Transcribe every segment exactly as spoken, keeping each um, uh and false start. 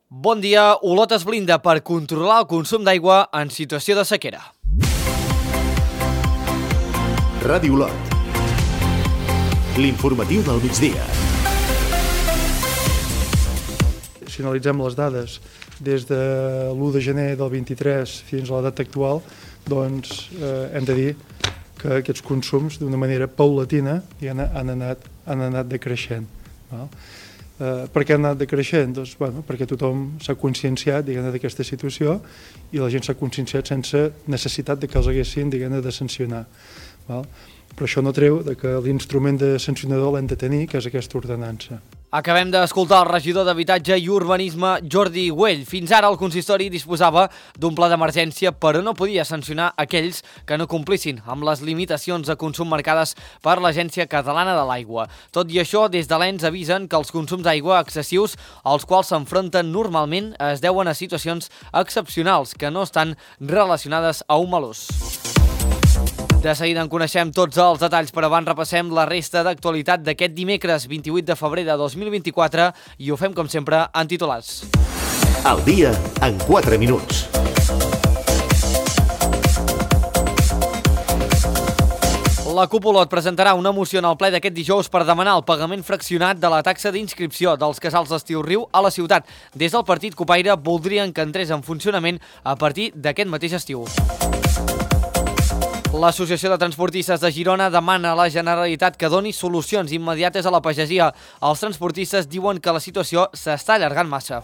Bon dia, Olot es blinda per controlar el consum d'aigua en situació de sequera. Ràdio Olot. L'informatiu del migdia. Si analitzem les dades des de l'u de gener del vint-i-tres fins a la data actual, doncs eh, hem de dir que aquests consums d'una manera paulatina han, han, anat, han anat decreixent. Val? Eh, per què han anat decreixent? Doncs, bueno, perquè tothom s'ha conscienciat d'aquesta situació i la gent s'ha conscienciat sense necessitat de que els haguessin de sancionar. Val? Però això no treu que l'instrument de sancionador l'hem de tenir, que és aquesta ordenança. Acabem d'escoltar el regidor d'Habitatge i Urbanisme, Jordi Güell. Fins ara el consistori disposava d'un pla d'emergència, però no podia sancionar aquells que no complissin amb les limitacions de consum marcades per l'Agència Catalana de l'Aigua. Tot i això, des de l'E N S avisen que els consums d'aigua excessius als quals s'enfronten normalment es deuen a situacions excepcionals que no estan relacionades a un mal ús. De seguida en coneixem tots els detalls, però abans repassem la resta d'actualitat d'aquest dimecres vint-i-vuit de febrer de dos mil vint-i-quatre i ho fem, com sempre, en titulars. El dia en quatre minuts. La CUP Olot presentarà una moció en el ple d'aquest dijous per demanar el pagament fraccionat de la taxa d'inscripció dels casals d'estiu Riu a la ciutat. Des del partit Copaire voldrien que entrés en funcionament a partir d'aquest mateix estiu. L'Associació de Transportistes de Girona demana a la Generalitat que doni solucions immediates a la pagesia. Els transportistes diuen que la situació s'està allargant massa.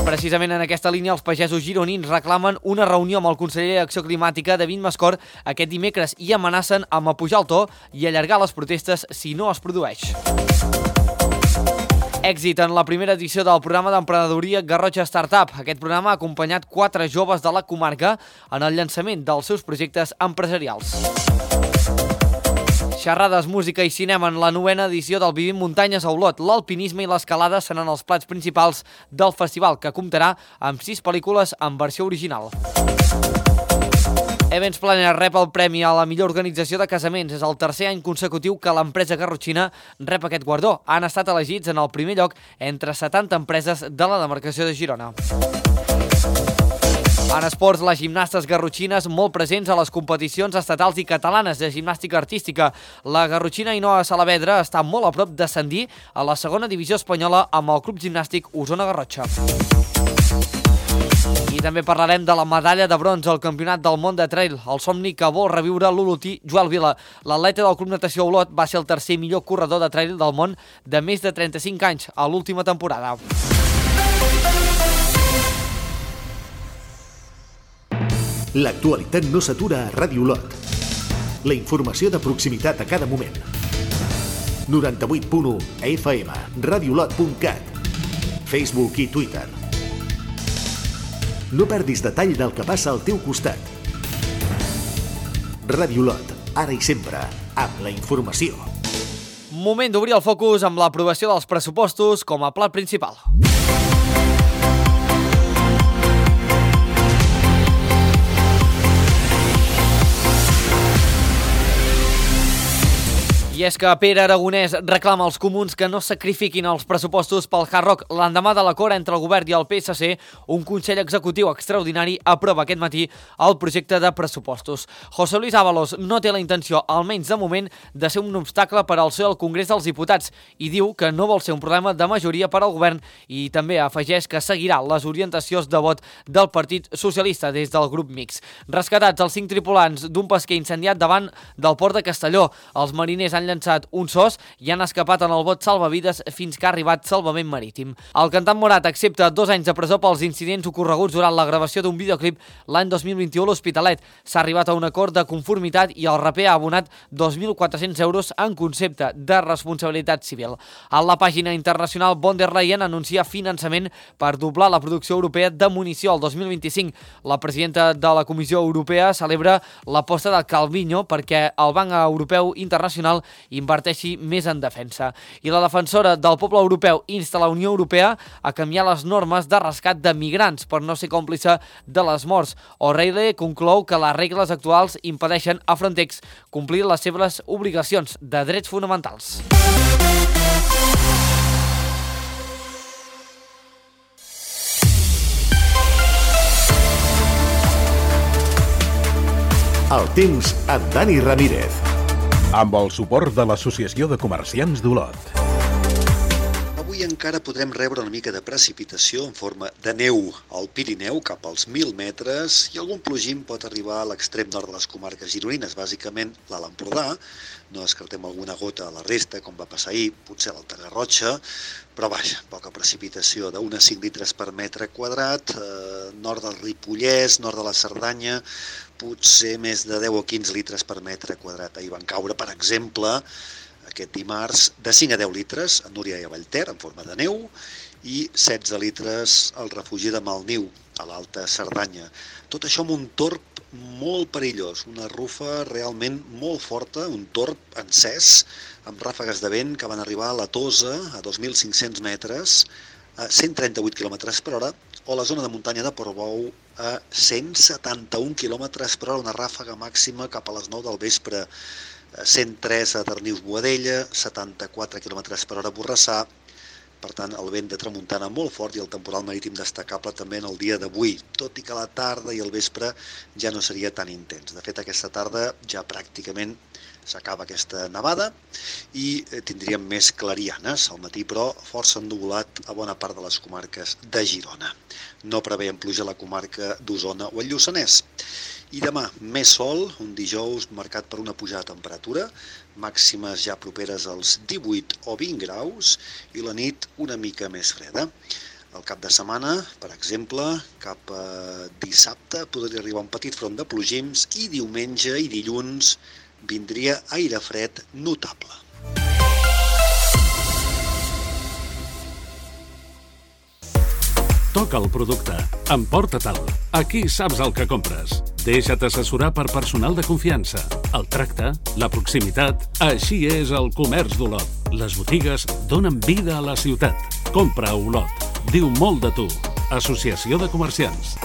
Precisament en aquesta línia, els pagesos gironins reclamen una reunió amb el conseller d'Acció Climàtica, David Mascort, aquest dimecres i amenacen amb apujar el to i allargar les protestes si no es produeix. Èxit en la primera edició del programa d'emprenedoria Garrotxa Startup. Aquest programa ha acompanyat quatre joves de la comarca en el llançament dels seus projectes empresarials. Xerrades, música i cinema en la novena edició del Vivim Muntanyes a Olot. L'alpinisme i l'escalada seran els plats principals del festival, que comptarà amb sis pel·lícules en versió original. Events Planner rep el premi a la millor organització de casaments. És el tercer any consecutiu que l'empresa garrotxina rep aquest guardó. Han estat elegits en el primer lloc entre setanta empreses de la demarcació de Girona. En esports, les gimnastes garrotxines molt presents a les competicions estatals i catalanes de gimnàstica artística. La garrotxina Ainhoa Salavedra està molt a prop d'ascendir a la segona divisió espanyola amb el Club Gimnàstic Osona Garrotxa. I també parlarem de la medalla de bronze al Campionat del Món de Trail, el somni que vol reviure l'olotí Joel Vila. L'atleta del Club Natació Olot va ser el tercer millor corredor de trail del món de més de trenta-cinc anys a l'última temporada. L'actualitat no s'atura a Ràdio Olot. La informació de proximitat a cada moment. noranta-vuit punt u F M, radiolot punt cat, Facebook i Twitter. No perdis detall del que passa al teu costat. Ràdio Olot, ara i sempre, amb la informació. Moment d'obrir el focus amb l'aprovació dels pressupostos com a plat principal. I és que Pere Aragonès reclama als comuns que no sacrifiquin els pressupostos pel Hard Rock. L'endemà de l'acord entre el govern i el P S C, un Consell Executiu extraordinari aprova aquest matí el projecte de pressupostos. José Luis Ábalos no té la intenció, almenys de moment, de ser un obstacle per al seu al Congrés dels Diputats i diu que no vol ser un problema de majoria per al govern i també afegeix que seguirà les orientacions de vot del Partit Socialista des del grup mixt. Rescatats els cinc tripulants d'un pesquer incendiat davant del port de Castelló. Els mariners han llançat un sos i han escapat en el bot salvavides fins que ha arribat salvament marítim. El cantant Morat accepta dos anys de presó pels incidents ocorreguts durant la gravació d'un videoclip l'any dos mil vint-i-u a l'Hospitalet. S'ha arribat a un acord de conformitat i el raper ha abonat dos mil quatre-cents euros en concepte de responsabilitat civil. A la pàgina internacional, von der Leyen anuncia finançament per doblar la producció europea de munició el dos mil vint-i-cinc. La presidenta de la Comissió Europea celebra l'aposta de Calviño perquè el Banc Europeu Internacional inverteixi més en defensa. I la defensora del poble europeu insta la Unió Europea a canviar les normes de rescat de migrants per no ser còmplice de les morts. O'Reilly conclou que les regles actuals impedeixen a Frontex complir les seves obligacions de de drets fonamentals. El temps amb Dani Ramírez. Amb el suport de l'Associació de Comerciants d'Olot. Avui encara podrem rebre una mica de precipitació en forma de neu al Pirineu cap als mil metres i algun plogim pot arribar a l'extrem nord de les comarques gironines, bàsicament l'Alt Empordà. No descartem alguna gota a la resta, com va passar ahir, potser a l'Alta Garrotxa, però vaja, poca precipitació d'un a cinc litres per metre quadrat, eh, nord del Ripollès, nord de la Cerdanya, potser més de deu o quinze litres per metre quadrat. Ahir van caure, per exemple, aquest dimarts, de cinc a deu litres a Núria i a Vallter, en forma de neu, i setze litres al refugi de Malniu, a l'Alta Cerdanya. Tot això amb un torb molt perillós, una rufa realment molt forta, un torb encès, amb ràfegues de vent que van arribar a la Tosa, a dos mil cinc-cents metres, a cent trenta-vuit quilòmetres per hora, o la zona de muntanya de Portbou a cent setanta-un quilòmetres per hora, una ràfega màxima cap a les nou del vespre, cent tres a Darnius-Boadella, setanta-quatre quilòmetres per hora a Borrassà. Per tant, el vent de tramuntana molt fort i el temporal marítim destacable també en el dia d'avui, tot i que la tarda i el vespre ja no seria tan intens. De fet, aquesta tarda ja pràcticament s'acaba aquesta nevada i tindríem més clarianes al matí, però força ennuvolat a bona part de les comarques de Girona. No preveiem pluja a la comarca d'Osona o el Lluçanès. I demà, més sol, un dijous marcat per una pujada de temperatura, màximes ja properes als divuit o vint graus i la nit una mica més freda. El cap de setmana, per exemple, cap a dissabte podria arribar un petit front de plogims i diumenge i dilluns vindria aire fred notable. Toca el producte. Emporta-te'l. Aquí saps el que compres. Deixa't assessorar per personal de confiança. El tracte, la proximitat, així és el comerç d'Olot. Les botigues donen vida a la ciutat. Compra a Olot. Diu molt de tu. Associació de Comerciants.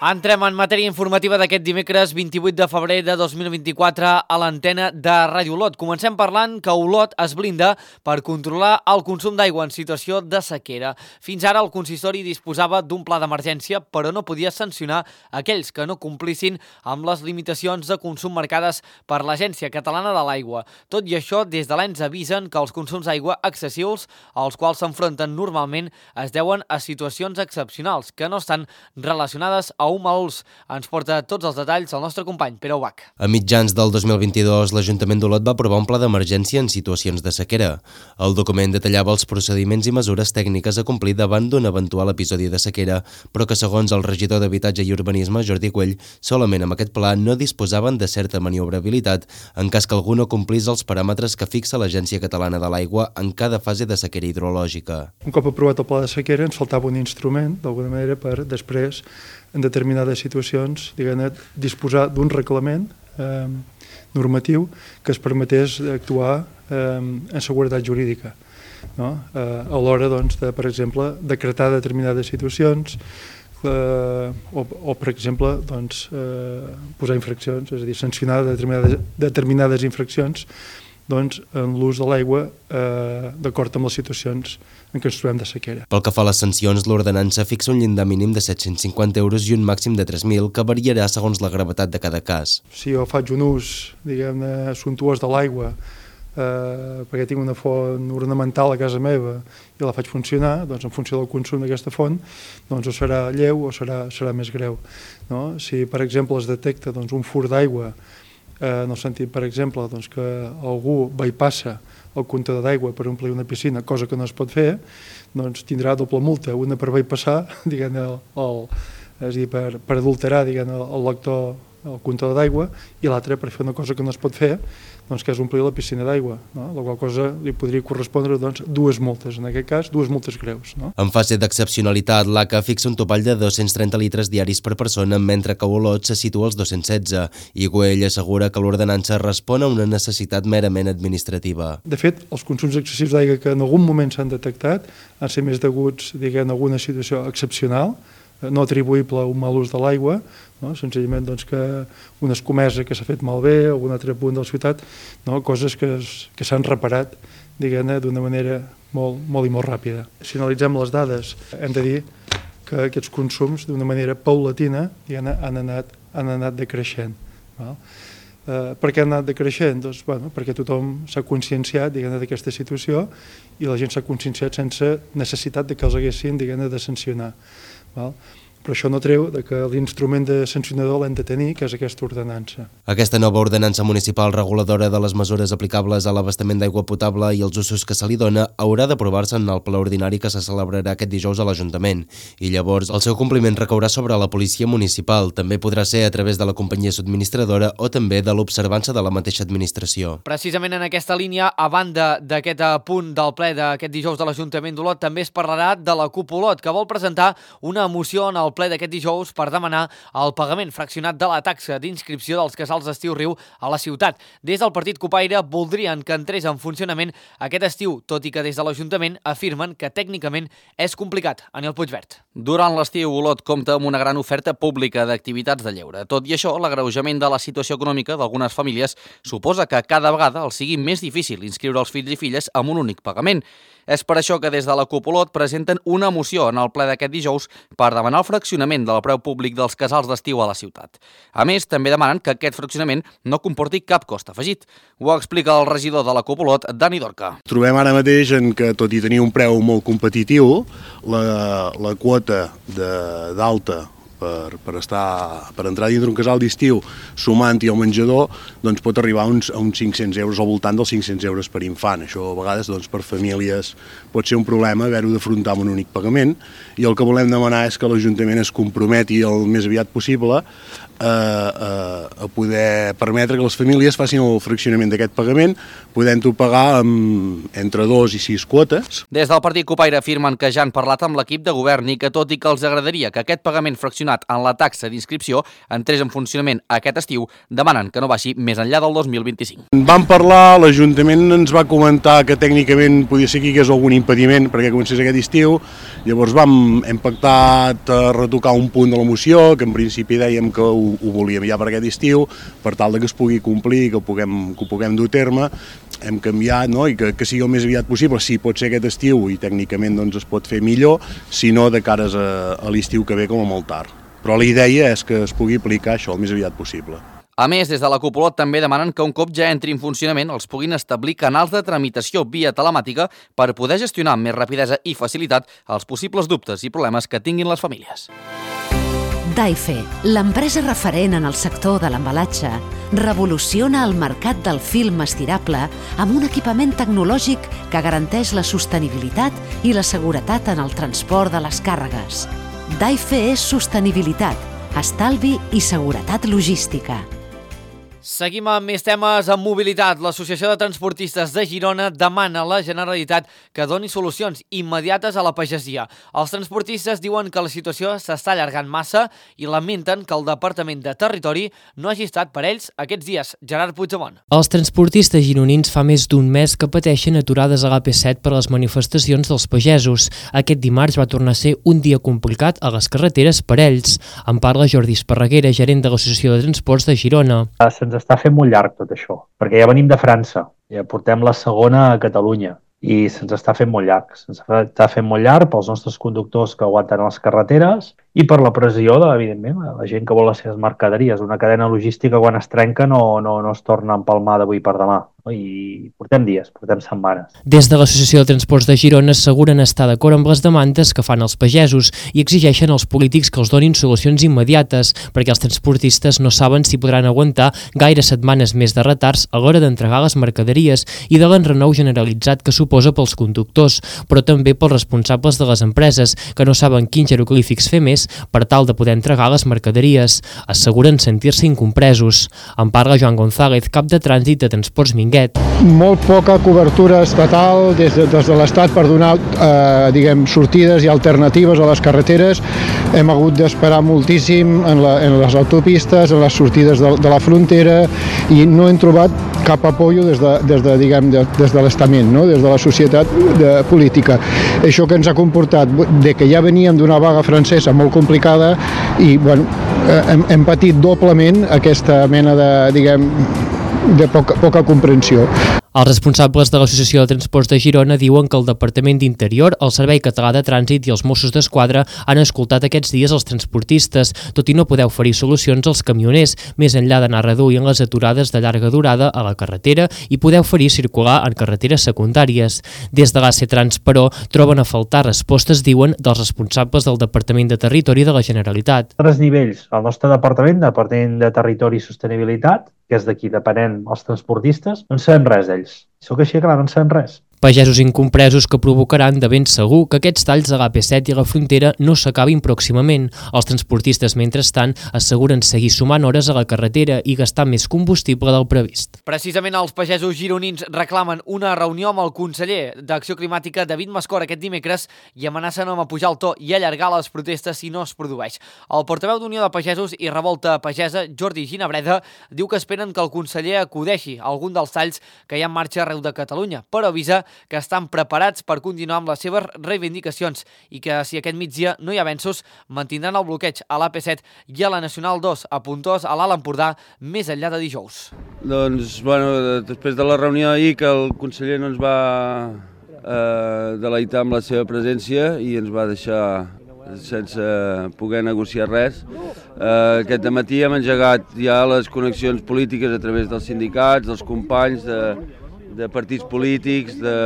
Entrem en matèria informativa d'aquest dimecres vint-i-vuit de febrer de dos mil vint-i-quatre a l'antena de Ràdio Olot. Comencem parlant que Olot es blinda per controlar el consum d'aigua en situació de sequera. Fins ara el consistori disposava d'un pla d'emergència, però no podia sancionar aquells que no complissin amb les limitacions de consum marcades per l'Agència Catalana de l'Aigua. Tot i això, des de l'E N S avisen que els consums d'aigua excessius, als quals s'enfronten normalment, es deuen a situacions excepcionals que no estan relacionades a un mal ús. Ens porta tots els detalls el nostre company Pere Ubach. A mitjans del dos mil vint-i-dos, l'Ajuntament d'Olot va aprovar un pla d'emergència en situacions de sequera. El document detallava els procediments i mesures tècniques a complir davant d'un eventual episodi de sequera, però que segons el regidor d'Habitatge i Urbanisme, Jordi Güell, solament amb aquest pla no disposaven de certa maniobrabilitat en cas que algú no complís els paràmetres que fixa l'Agència Catalana de l'Aigua en cada fase de sequera hidrològica. Un cop aprovat el pla de sequera ens faltava un instrument, d'alguna manera, per després en determinades situacions, diguem-ne, disposar d'un reglament eh, normatiu que es permetés actuar eh, en seguretat jurídica, no? Eh, a l'hora, doncs, de, per exemple, decretar determinades situacions eh, o, o, per exemple, doncs, eh, posar infraccions, és a dir, sancionar determinades, determinades infraccions doncs, en l'ús de l'aigua eh, d'acord amb les situacions en què ens trobem de sequera. Pel que fa a les sancions, l'ordenança fixa un llindar mínim de set-cents cinquanta euros i un màxim de tres mil, que variarà segons la gravetat de cada cas. Si jo faig un ús, diguem-ne, suntuós de l'aigua, eh, perquè tinc una font ornamental a casa meva i la faig funcionar, doncs en funció del consum d'aquesta font, doncs o serà lleu o serà, serà més greu. No? Si, per exemple, es detecta doncs, un fur d'aigua, eh, en el sentit, per exemple, doncs, que algú bypassa el comptador d'aigua per omplir una piscina, cosa que no es pot fer, doncs tindrà doble multa, una per bypassar, diguem-ne, el, el, és a dir, per, per adulterar, diguem-ne, el lector, el comptador d'aigua, i l'altra per fer una cosa que no es pot fer, doncs que és omplir la piscina d'aigua, no? La qual cosa li podria correspondre doncs, dues multes, en aquest cas, dues multes greus. No? En fase d'excepcionalitat, l'A C A fixa un topall de dos-cents trenta litres diaris per persona, mentre que Olot se situa als dos-cents setze, i Güell assegura que l'ordenança respon a una necessitat merament administrativa. De fet, els consums excessius d'aigua que en algun moment s'han detectat han ser més deguts, diguem, a alguna situació excepcional, no atribuïble a un mal ús de l'aigua, no? Senzillament doncs, que una escomesa que s'ha fet malbé o un altre punt de la ciutat, no? Coses que, es, que s'han reparat, diguem-ne, d'una manera molt, molt i molt ràpida. Si analitzem les dades, hem de dir que aquests consums, d'una manera paulatina, diguem-ne, han anat, han anat decreixent. Val? Eh, per què han anat decreixent? Doncs, bueno, perquè tothom s'ha conscienciat d'aquesta situació i la gent s'ha conscienciat sense necessitat de que els haguessin de sancionar. Val? Però això no treu que l'instrument de sancionador l'hem de tenir, que és aquesta ordenança. Aquesta nova ordenança municipal reguladora de les mesures aplicables a l'abastament d'aigua potable i els usos que se li dona haurà d'aprovar-se en el ple ordinari que se celebrarà aquest dijous a l'Ajuntament. I llavors el seu compliment recaurà sobre la policia municipal. També podrà ser a través de la companyia subministradora o també de l'observança de la mateixa administració. Precisament en aquesta línia, a banda d'aquest punt del ple d'aquest dijous de l'Ajuntament d'Olot, també es parlarà de la CUP Olot, que vol presentar una moció en el ple d'aquest dijous per demanar el pagament fraccionat de la taxa d'inscripció dels casals d'estiu Riu a la ciutat. Des del partit Cupaire voldrien que entrés en funcionament aquest estiu, tot i que des de l'Ajuntament afirmen que tècnicament és complicat. Aniel Puigvert. Durant l'estiu, Olot compta amb una gran oferta pública d'activitats de lleure. Tot i això, l'agreujament de la situació econòmica d'algunes famílies suposa que cada vegada els sigui més difícil inscriure els fills i filles amb un únic pagament. És per això que des de la CUP Olot presenten una moció en el ple d'aquest dijous per demanar el fraccionament del preu públic dels casals d'estiu a la ciutat. A més, també demanen que aquest fraccionament no comporti cap cost afegit. Ho explica el regidor de la CUP Olot, Dani Dorca. Trobem ara mateix en que, tot i tenir un preu molt competitiu, la, la quota d'alta per, per, estar, per entrar dintre un casal d'estiu sumant-hi el menjador doncs pot arribar a uns, a uns cinc-cents euros, al voltant dels cinc-cents euros per infant. Això a vegades doncs, per famílies pot ser un problema haver-ho d'afrontar amb un únic pagament, i el que volem demanar és que l'Ajuntament es comprometi el més aviat possible a, a, a poder permetre que les famílies facin el fraccionament d'aquest pagament, podent-ho pagar amb, entre dos i sis quotes. Des del partit Cupaire afirmen que ja han parlat amb l'equip de govern i que, tot i que els agradaria que aquest pagament fraccionat en la taxa d'inscripció entrés en funcionament aquest estiu, demanen que no baixi més enllà del dos mil vint-i-cinc. Vam parlar, l'Ajuntament ens va comentar que tècnicament podia ser que hi hagués algun impediment perquè comencés aquest estiu, llavors vam, hem pactat a retocar un punt de la moció, que en principi dèiem que ho, ho volíem ja per aquest estiu, per tal de que es pugui complir, que ho puguem, que ho puguem dur a terme, hem canviat, no? I que, que sigui el més aviat possible. Sí, pot ser aquest estiu i tècnicament doncs, es pot fer millor, si no de cares a, a l'estiu que ve com a molt tard. Però la idea és que es pugui aplicar això el més aviat possible. A més, des de la CUP Olot també demanen que un cop ja entri en funcionament els puguin establir canals de tramitació via telemàtica per poder gestionar amb més rapidesa i facilitat els possibles dubtes i problemes que tinguin les famílies. Daife, l'empresa referent en el sector de l'embalatge, revoluciona el mercat del film estirable amb un equipament tecnològic que garanteix la sostenibilitat i la seguretat en el transport de les càrregues. Daife és sostenibilitat, estalvi i seguretat logística. Seguim amb més temes en mobilitat. L'Associació de Transportistes de Girona demana a la Generalitat que doni solucions immediates a la pagesia. Els transportistes diuen que la situació s'està allargant massa i lamenten que el Departament de Territori no hagi estat per ells aquests dies. Gerard Puigdemont. Els transportistes gironins fa més d'un mes que pateixen aturades a l'A P set per les manifestacions dels pagesos. Aquest dimarts va tornar a ser un dia complicat a les carreteres per ells. En parla Jordi Esparreguera, gerent de l'Associació de Transports de Girona. Se'ns està fent molt llarg tot això, perquè ja venim de França, ja portem la segona a Catalunya i se'ns està fent molt llarg. Se'ns està fent molt llarg pels nostres conductors que aguanten les carreteres i per la pressió, de, evidentment, la gent que vol les seves mercaderies. Una cadena logística, quan es trenca, no, no, no es torna a empalmar d'avui per demà. No? I portem dies, portem setmanes. Des de l'Associació de Transports de Girona asseguren estar d'acord amb les demandes que fan els pagesos i exigeixen als polítics que els donin solucions immediates, perquè els transportistes no saben si podran aguantar gaire setmanes més de retards a l'hora d'entregar les mercaderies i de l'enrenou generalitzat que suposa pels conductors, però també pels responsables de les empreses, que no saben quins jeroglífics fer més per tal de poder entregar les mercaderies. Asseguren sentir-se incompresos. En parla Joan González, cap de trànsit de Transports Minguet. Molt poca cobertura estatal des de, des de l'Estat per donar eh, diguem, sortides i alternatives a les carreteres. Hem hagut d'esperar moltíssim en, la, en les autopistes, en les sortides de, de la frontera, i no hem trobat cap apoyo des de, des de, diguem, de, des de l'estament, no? Des de la societat de política. Això que ens ha comportat de que ja veníem d'una vaga francesa molt complicada i bueno, hem, hem patit doblement aquesta mena de, diguem, de poca, poca comprensió. Els responsables de l'Associació de Transports de Girona diuen que el Departament d'Interior, el Servei Català de Trànsit i els Mossos d'Esquadra han escoltat aquests dies els transportistes, tot i no poder oferir solucions als camioners, més enllà d'anar reduint les aturades de llarga durada a la carretera i poder oferir circular en carreteres secundàries. Des de l'A C Trans, però, troben a faltar respostes, diuen, dels responsables del Departament de Territori de la Generalitat. A tres nivells, el nostre departament, Departament de Territori i Sostenibilitat, que és d'aquí depenent els transportistes, no en sabem res d'ells. Sóc així, clar, no en sabem res. Pagesos incompresos que provocaran de ben segur que aquests talls de l'A P set i la frontera no s'acabin pròximament. Els transportistes, mentrestant, asseguren seguir sumant hores a la carretera i gastar més combustible del previst. Precisament els pagesos gironins reclamen una reunió amb el conseller d'Acció Climàtica, David Mascor, aquest dimecres i amenacen amb apujar el to i allargar les protestes si no es produeix. El portaveu d'Unió de Pagesos i Revolta Pagesa, Jordi Ginabreda, diu que esperen que el conseller acudeixi a algun dels talls que hi ha en marxa arreu de Catalunya, però avisa que estan preparats per continuar amb les seves reivindicacions i que, si aquest migdia no hi ha avenços, mantindran el bloqueig a l'A P set i a la Nacional dos a Pontós, a l'Alt Empordà, més enllà de dijous. Doncs, bueno, després de la reunió ahir, que el conseller no ens va eh, deleitar amb la seva presència i ens va deixar sense poder negociar res. Eh, aquest matí hem engegat ja les connexions polítiques a través dels sindicats, dels companys, de de partits polítics, de,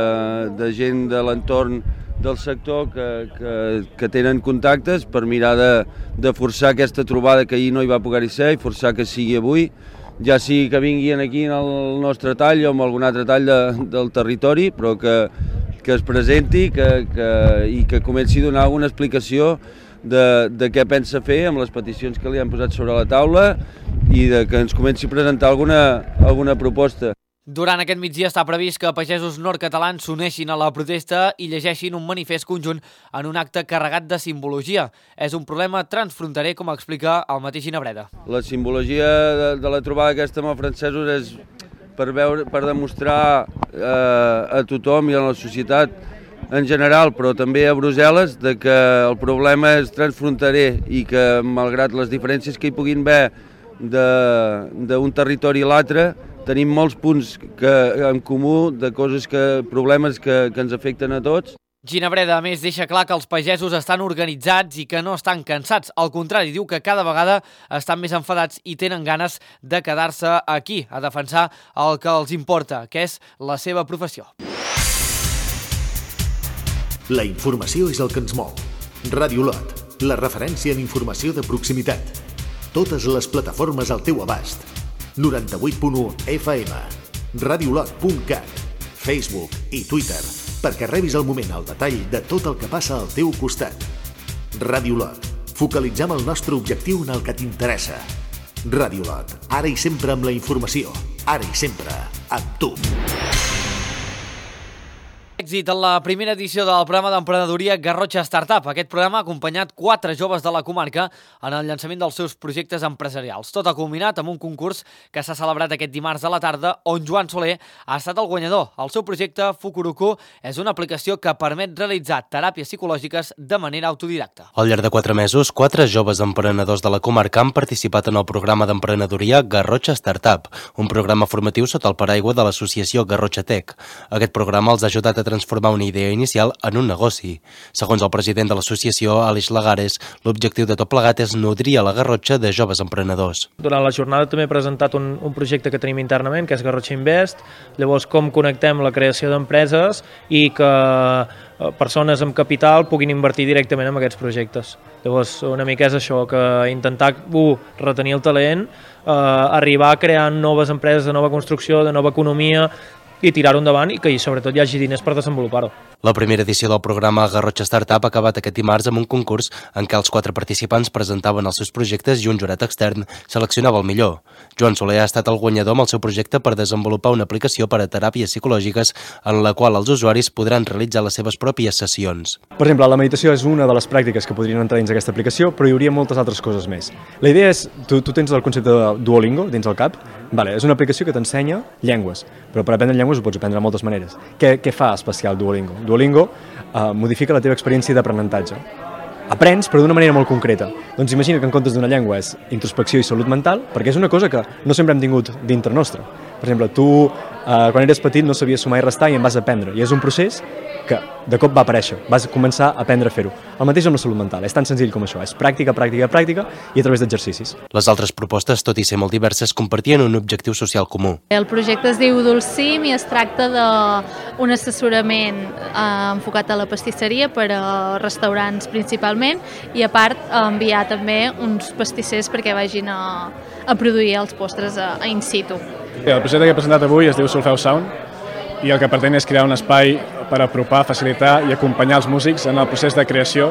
de gent de l'entorn del sector que, que, que tenen contactes per mirar de, de forçar aquesta trobada que ahir no hi va poder-hi ser i forçar que sigui avui, ja sigui que vinguin aquí en el nostre tall o en algun altre tall de, del territori, però que, que es presenti que, que, i que comenci a donar alguna explicació de, de què pensa fer amb les peticions que li han posat sobre la taula i de que ens comenci a presentar alguna, alguna proposta. Durant aquest migdia està previst que pagesos nord-catalans s'uneixin a la protesta i llegeixin un manifest conjunt en un acte carregat de simbologia. És un problema transfronterer, com explica el mateix Ginabreda. La simbologia de, de la trobada aquesta amb els francesos és per, veure, per demostrar eh, a tothom i a la societat en general, però també a Brussel·les, de que el problema és transfronterer i que, malgrat les diferències que hi puguin haver d'un territori a l'altre, tenim molts punts que, en comú de coses que, problemes que, que ens afecten a tots. Ginabreda, a més, deixa clar que els pagesos estan organitzats i que no estan cansats. Al contrari, diu que cada vegada estan més enfadats i tenen ganes de quedar-se aquí a defensar el que els importa, que és la seva professió. La informació és el que ens mou. Ràdio Lot, la referència en informació de proximitat. Totes les plataformes al teu abast. noranta-vuit punt u F M, radiolot punt cat, Facebook i Twitter, perquè rebis al moment el detall de tot el que passa al teu costat. Ràdio Lot, focalitzem el nostre objectiu en el que t'interessa. Ràdio Lot, ara i sempre amb la informació, ara i sempre amb tu. Èxit en la primera edició del programa d'emprenedoria Garrotxa Startup. Aquest programa ha acompanyat quatre joves de la comarca en el llançament dels seus projectes empresarials. Tot ha culminat amb un concurs que s'ha celebrat aquest dimarts a la tarda, on Joan Soler ha estat el guanyador. El seu projecte, Fukuruku, és una aplicació que permet realitzar teràpies psicològiques de manera autodidacta. Al llarg de quatre mesos, quatre joves emprenedors de la comarca han participat en el programa d'emprenedoria Garrotxa Startup, un programa formatiu sota el paraigua de l'associació Garrotxa Tech. Aquest programa els ha ajudat a transformar una idea inicial en un negoci. Segons el president de l'associació, Aleix Lagares, l'objectiu de tot plegat és nodrir a la Garrotxa de joves emprenedors. Durant la jornada també he presentat un, un projecte que tenim internament, que és Garrotxa Invest, llavors com connectem la creació d'empreses i que persones amb capital puguin invertir directament en aquests projectes. Llavors, una mica és això, que intentar, un, retenir el talent, eh, arribar a crear noves empreses de nova construcció, de nova economia, i tirar-ho endavant i que sobretot hi hagi diners per desenvolupar-ho. La primera edició del programa Garrotxa Startup ha acabat aquest dimarts amb un concurs en què els quatre participants presentaven els seus projectes i un jurat extern seleccionava el millor. Joan Soler ha estat el guanyador amb el seu projecte per desenvolupar una aplicació per a teràpies psicològiques en la qual els usuaris podran realitzar les seves pròpies sessions. Per exemple, la meditació és una de les pràctiques que podrien entrar dins aquesta aplicació, però hi hauria moltes altres coses més. La idea és, tu, tu tens el concepte de Duolingo dins el cap, vale, és una aplicació que t'ensenya llengües, però per aprendre llengües ho pots aprendre de moltes maneres. Què, què fa especial Duolingo? Duolingo uh, modifica la teva experiència d'aprenentatge. Aprens, però d'una manera molt concreta. Doncs imagina que en comptes d'una llengua és introspecció i salut mental, perquè és una cosa que no sempre hem tingut dintre nostre. Per exemple, tu eh, quan eres petit no sabies sumar i restar i en vas aprendre, i és un procés que de cop va aparèixer, vas començar a aprendre a fer-ho. El mateix amb la salut mental, és tan senzill com això, és pràctica, pràctica, pràctica i a través d'exercicis. Les altres propostes, tot i ser molt diverses, compartien un objectiu social comú. El projecte es diu Dulcim i es tracta d'un assessorament eh, enfocat a la pastisseria per a restaurants principalment i a part enviar també uns pastissers perquè vagin a, a produir els postres a, a in situ. El projecte que he presentat avui es diu Solfeu Sound i el que pretén és crear un espai per apropar, facilitar i acompanyar els músics en el procés de creació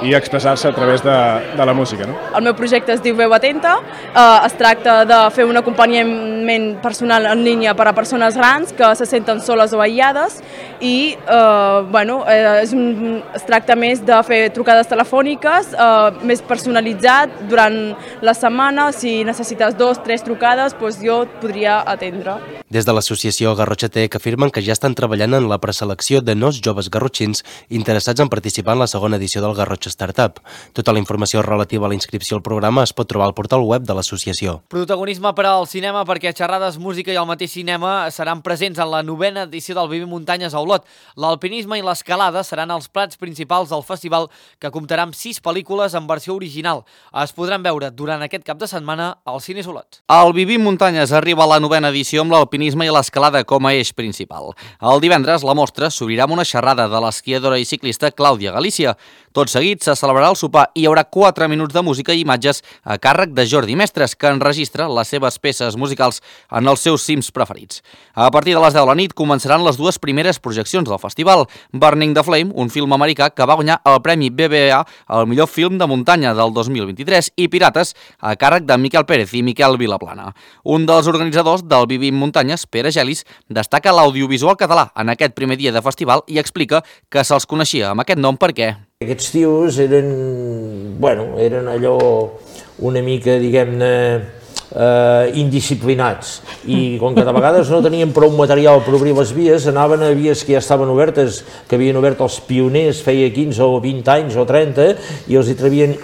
i expressar-se a través de, de la música. No? El meu projecte es diu Veu Atenta, eh, es tracta de fer un acompanyament personal en línia per a persones grans que se senten soles o aïllades i eh, bueno, eh, és un, es tracta més de fer trucades telefòniques, eh, més personalitzat durant la setmana, si necessites dos, tres trucades, doncs jo et podria atendre. Des de l'associació Garrotxa Tech afirmen que ja estan treballant en la preselecció de nous joves garrotxins interessats en participar en la segona edició del Garrotxa Startup. Tota la informació relativa a la inscripció al programa es pot trobar al portal web de l'associació. Protagonisme per al cinema perquè xerrades, música i el mateix cinema seran presents en la novena edició del Vivim Muntanyes a Olot. L'alpinisme i l'escalada seran els plats principals del festival, que comptarà amb sis pel·lícules en versió original. Es podran veure durant aquest cap de setmana al Cines Olot. El Vivim Muntanyes arriba a la novena edició amb l'alpinisme i l'escalada com a eix principal. El divendres la mostra s'obrirà amb una xerrada de l'esquiadora i ciclista Clàudia Galícia. Tot seguit se celebrarà el sopar i hi haurà quatre minuts de música i imatges a càrrec de Jordi Mestres, que enregistra les seves peces musicals en els seus cims preferits. A partir de les deu de la nit començaran les dues primeres projeccions del festival. Burning the Flame, un film americà que va guanyar el Premi B B A al millor film de muntanya del dos mil vint-i-tres, i Pirates, a càrrec de Miquel Pérez i Miquel Vilaplana. Un dels organitzadors del Vivim Muntanyes, Pere Gelis, destaca l'audiovisual català en aquest primer dia de festival i explica que se'ls coneixia amb aquest nom perquè... Aquests tios eren, bueno, eren allò una mica, diguem-ne, eh, indisciplinats, i com que de vegades no tenien prou material per obrir les vies, anaven a vies que ja estaven obertes, que havien obert els pioners feia quinze o vint anys o trenta, i els hi trevien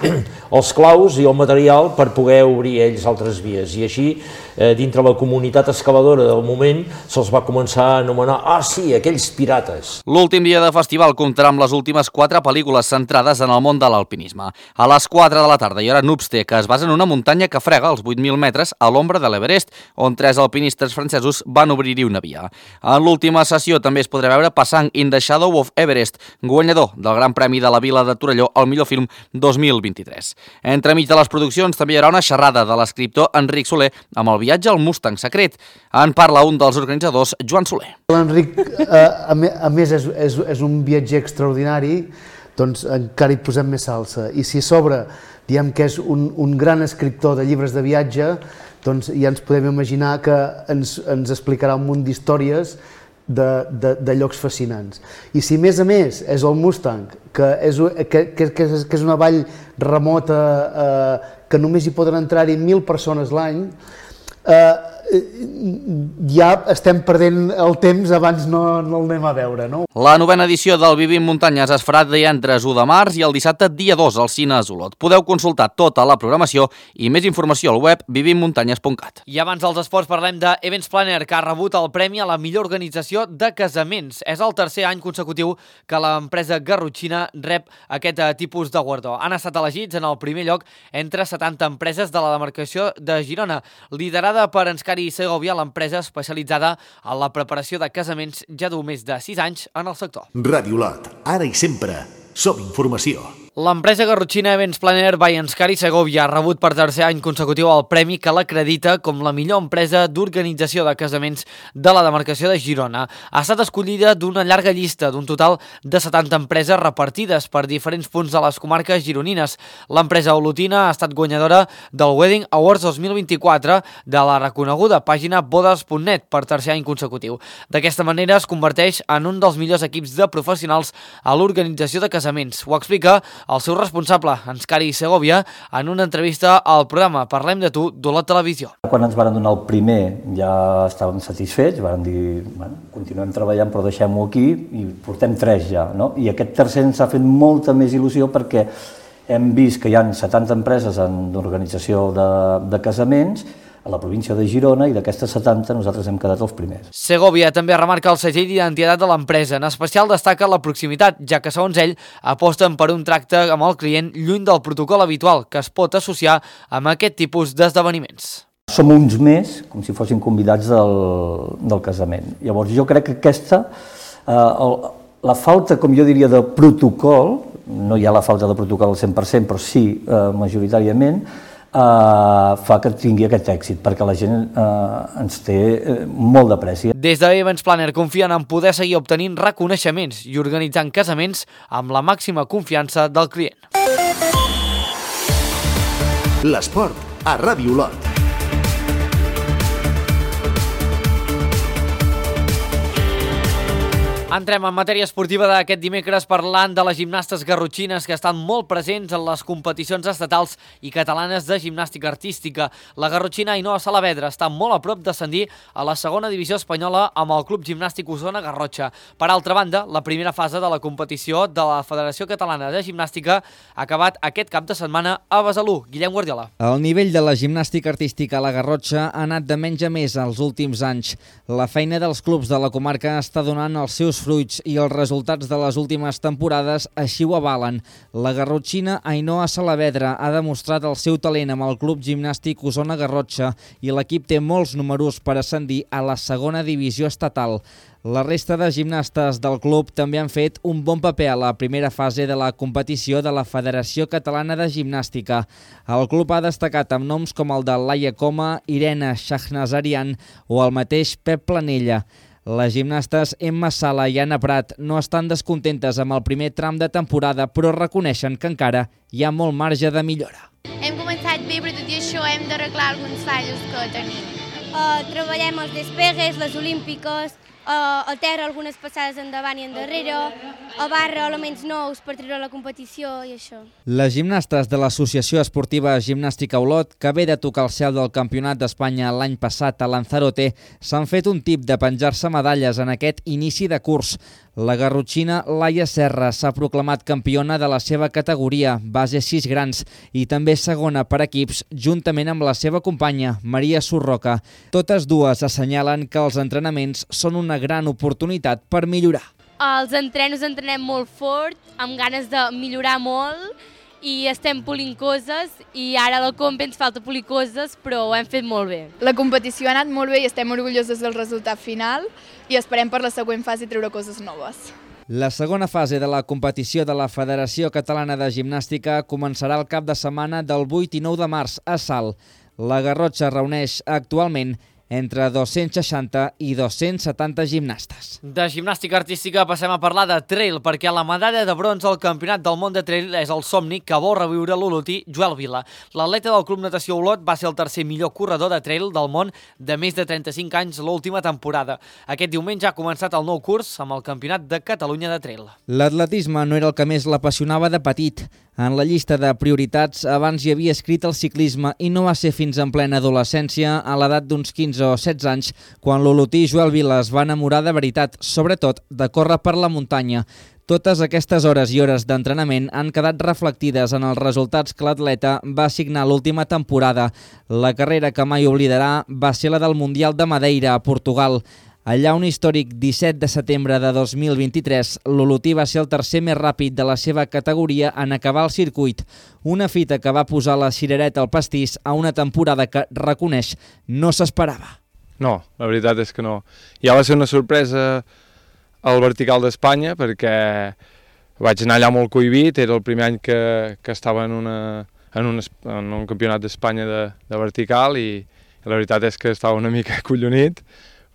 els claus i el material per poder obrir ells altres vies, i així eh, dintre la comunitat escaladora del moment se'ls va començar a anomenar, ah sí, aquells pirates. L'últim dia de festival comptarà amb les últimes quatre pel·lícules centrades en el món de l'alpinisme. A les quatre de la tarda hi haurà Nubste, que es basa en una muntanya que frega els vuit mil metres a l'ombra de l'Everest, on tres alpinistes francesos van obrir-hi una via. En l'última sessió també es podrà veure Passant in the Shadow of Everest, guanyador del Gran Premi de la Vila de Torelló al millor film dos mil vint-i-tres. Entremig de les produccions també hi haurà una xerrada de l'escriptor Enric Soler amb el viatge al Mustang secret. En parla un dels organitzadors, Joan Soler. L'Enric, eh, a més, és, és, és un viatger extraordinari, doncs encara hi posem més salsa. I si a sobre diem que és un, un gran escriptor de llibres de viatge, doncs ja ens podem imaginar que ens, ens explicarà un munt d'històries de, de, de llocs fascinants. I si a més a més és el Mustang, que és, que, que, que és, que és una vall remota eh, que només hi poden entrar-hi mil persones l'any, eh, ja estem perdent el temps abans no, no el anem a veure, no? La novena edició del Vivim Muntanyes es farà divendres u de març i el dissabte dia dos al Cines Olot. Podeu consultar tota la programació i més informació al web vivim muntanyes punt cat. I abans dels esports parlem de Events Planner, que ha rebut el premi a la millor organització de casaments. És el tercer any consecutiu que l'empresa garrotxina rep aquest tipus de guardó. Han estat elegits en el primer lloc entre setanta empreses de la demarcació de Girona, liderada per Enscari i Segovia, l'empresa especialitzada en la preparació de casaments, ja du més de sis anys en el sector. Ràdio Olot, ara i sempre, som informació. L'empresa garrotxina Events Planner by Enscari Segovia ha rebut per tercer any consecutiu el premi que l'acredita com la millor empresa d'organització de casaments de la demarcació de Girona. Ha estat escollida d'una llarga llista d'un total de setanta empreses repartides per diferents punts de les comarques gironines. L'empresa olotina ha estat guanyadora del Wedding Awards dos mil vint-i-quatre de la reconeguda pàgina bodes punt net per tercer any consecutiu. D'aquesta manera es converteix en un dels millors equips de professionals a l'organització de casaments. Ho explica el seu responsable, Enscari Segovia, en una entrevista al programa Parlem de tu d'Olot Televisió. Quan ens van donar el primer ja estàvem satisfets, van dir, bueno, continuem treballant però deixem-ho aquí, i portem tres ja, no? I aquest tercer ens ha fet molta més il·lusió perquè hem vist que hi ha setanta empreses en d'organització de, de casaments, a la província de Girona, i d'aquestes setanta nosaltres hem quedat els primers. Segovia també remarca el segell d'identitat de l'empresa. En especial destaca la proximitat, ja que, segons ell, aposten per un tracte amb el client lluny del protocol habitual que es pot associar amb aquest tipus d'esdeveniments. Som uns més, com si fossin convidats del, del casament. Llavors jo crec que aquesta, eh, el, la falta, com jo diria, de protocol, no hi ha la falta de protocol al cent per cent, però sí eh, majoritàriament, eh, fa que tingui aquest èxit, perquè la gent eh, ens té eh, molt d'apreci. Des de Events Planner confien en poder seguir obtenint reconeixements i organitzant casaments amb la màxima confiança del client. L'esport a Ràdio Olot. Entrem en matèria esportiva d'aquest dimecres parlant de les gimnastes garrotxines que estan molt presents en les competicions estatals i catalanes de gimnàstica artística. La garrotxina Ainhoa Saavedra està molt a prop d'ascendir a la segona divisió espanyola amb el Club Gimnàstic Osona Garrotxa. Per altra banda, la primera fase de la competició de la Federació Catalana de Gimnàstica ha acabat aquest cap de setmana a Besalú. Guillem Guardiola. El nivell de la gimnàstica artística a la Garrotxa ha anat de menys a més els últims anys. La feina dels clubs de la comarca està donant els seus fruits i els resultats de les últimes temporades així ho avalen. La garrotxina Ainhoa Saavedra ha demostrat el seu talent amb el Club Gimnàstic Osona Garrotxa i l'equip té molts números per ascendir a la segona divisió estatal. La resta de gimnastes del club també han fet un bon paper a la primera fase de la competició de la Federació Catalana de Gimnàstica. El club ha destacat amb noms com el de Laia Coma, Irene Shahnazarian o el mateix Pep Planella. Les gimnastes Emma Sala i Anna Prat no estan descontentes amb el primer tram de temporada, però reconeixen que encara hi ha molt marge de millora. Hem començat bé, però tot i això hem d'arreglar alguns fallos que tenim. Uh, treballem els despegues, les olímpiques, uh, a terra algunes passades endavant i endarrere, a barra elements nous per treure la competició i això. Les gimnastes de l'Associació Esportiva Gimnàstica Olot, que ve de tocar el cel del Campionat d'Espanya l'any passat a Lanzarote, s'han fet un tip de penjar-se medalles en aquest inici de curs. La garrotxina Laia Serra s'ha proclamat campiona de la seva categoria, base sis grans, i també segona per equips, juntament amb la seva companya, Maria Surroca. Totes dues assenyalen que els entrenaments són una gran oportunitat per millorar. Els entrenos entrenem molt fort, amb ganes de millorar molt, i estem polint coses, i ara a la comp ens falta polir coses, però ho hem fet molt bé. La competició ha anat molt bé i estem orgulloses del resultat final i esperem per la següent fase treure coses noves. La segona fase de la competició de la Federació Catalana de Gimnàstica començarà el cap de setmana del vuit i nou de març a Salt. La Garrotxa reuneix actualment entre dos-cents seixanta i dos-cents setanta gimnastes. De gimnàstica artística passem a parlar de trail, perquè la medalla de bronze al Campionat del Món de Trail és el somni que vol reviure l'olotí Joel Vila. L'atleta del Club Natació Olot va ser el tercer millor corredor de trail del món de més de trenta-cinc anys l'última temporada. Aquest diumenge ha començat el nou curs amb el Campionat de Catalunya de Trail. L'atletisme no era el que més l'apassionava de petit. En la llista de prioritats abans hi havia escrit el ciclisme i no va ser fins en plena adolescència, a l'edat d'uns quinze o setze anys, quan l'olotí Joel Vila es va enamorar de veritat, sobretot de córrer per la muntanya. Totes aquestes hores i hores d'entrenament han quedat reflectides en els resultats que l'atleta va signar l'última temporada. La carrera que mai oblidarà va ser la del Mundial de Madeira, a Portugal. Allà un històric disset de setembre de dos mil vint-i-tres, l'olotí va ser el tercer més ràpid de la seva categoria en acabar el circuit. Una fita que va posar la cirereta al pastís a una temporada que, reconeix, no s'esperava. No, la veritat és que no. Ja va ser una sorpresa al vertical d'Espanya, perquè vaig anar allà molt cohibit, era el primer any que, que estava en, una, en, un, en un campionat d'Espanya de, de vertical i la veritat és que estava una mica collonit,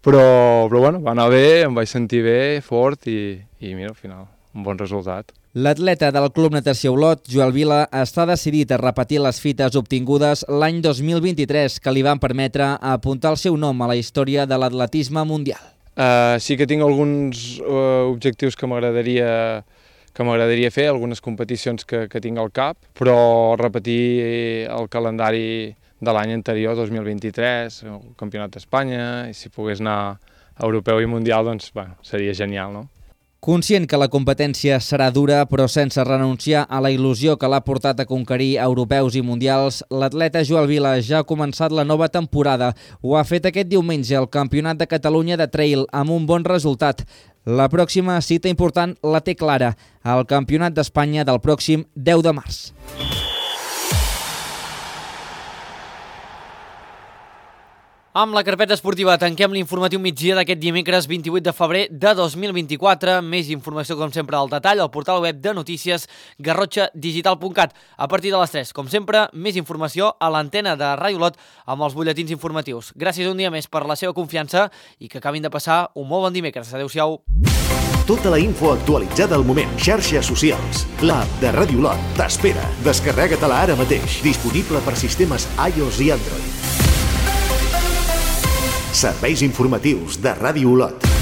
però, però bueno, va anar bé, em vaig sentir bé, fort i, i mira, al final, un bon resultat. L'atleta del Club Natació Olot, Joel Vila, està decidit a repetir les fites obtingudes l'any dos mil vint-i-tres que li van permetre apuntar el seu nom a la història de l'atletisme mundial. Uh, sí que tinc alguns uh, objectius que m'agradaria que m'agradaria fer, algunes competicions que, que tinc al cap, però repetir el calendari de l'any anterior, dos mil vint-i-tres, el Campionat d'Espanya, i si pogués anar a europeu i mundial, doncs bueno, seria genial, no? Conscient que la competència serà dura, però sense renunciar a la il·lusió que l'ha portat a conquerir europeus i mundials, l'atleta Joel Vila ja ha començat la nova temporada. Ho ha fet aquest diumenge al Campionat de Catalunya de Trail amb un bon resultat. La pròxima cita important la té clara, el Campionat d'Espanya del pròxim deu de març. Amb la carpeta esportiva tanquem l'informatiu migdia d'aquest dimecres vint-i-vuit de febrer de dos mil vint-i-quatre. Més informació, com sempre, al detall al portal web de notícies garrotxa digital punt cat. A partir de les tres, com sempre, més informació a l'antena de Ràdio Olot amb els butlletins informatius. Gràcies un dia més per la seva confiança i que acabin de passar un molt bon dimecres. Adéu-siau. Tota la info actualitzada al moment. Xarxes socials. L'app de Ràdio Olot t'espera. Descarrega-te-la ara mateix. Disponible per sistemes iOS i Android. Serveis informatius de Ràdio Olot.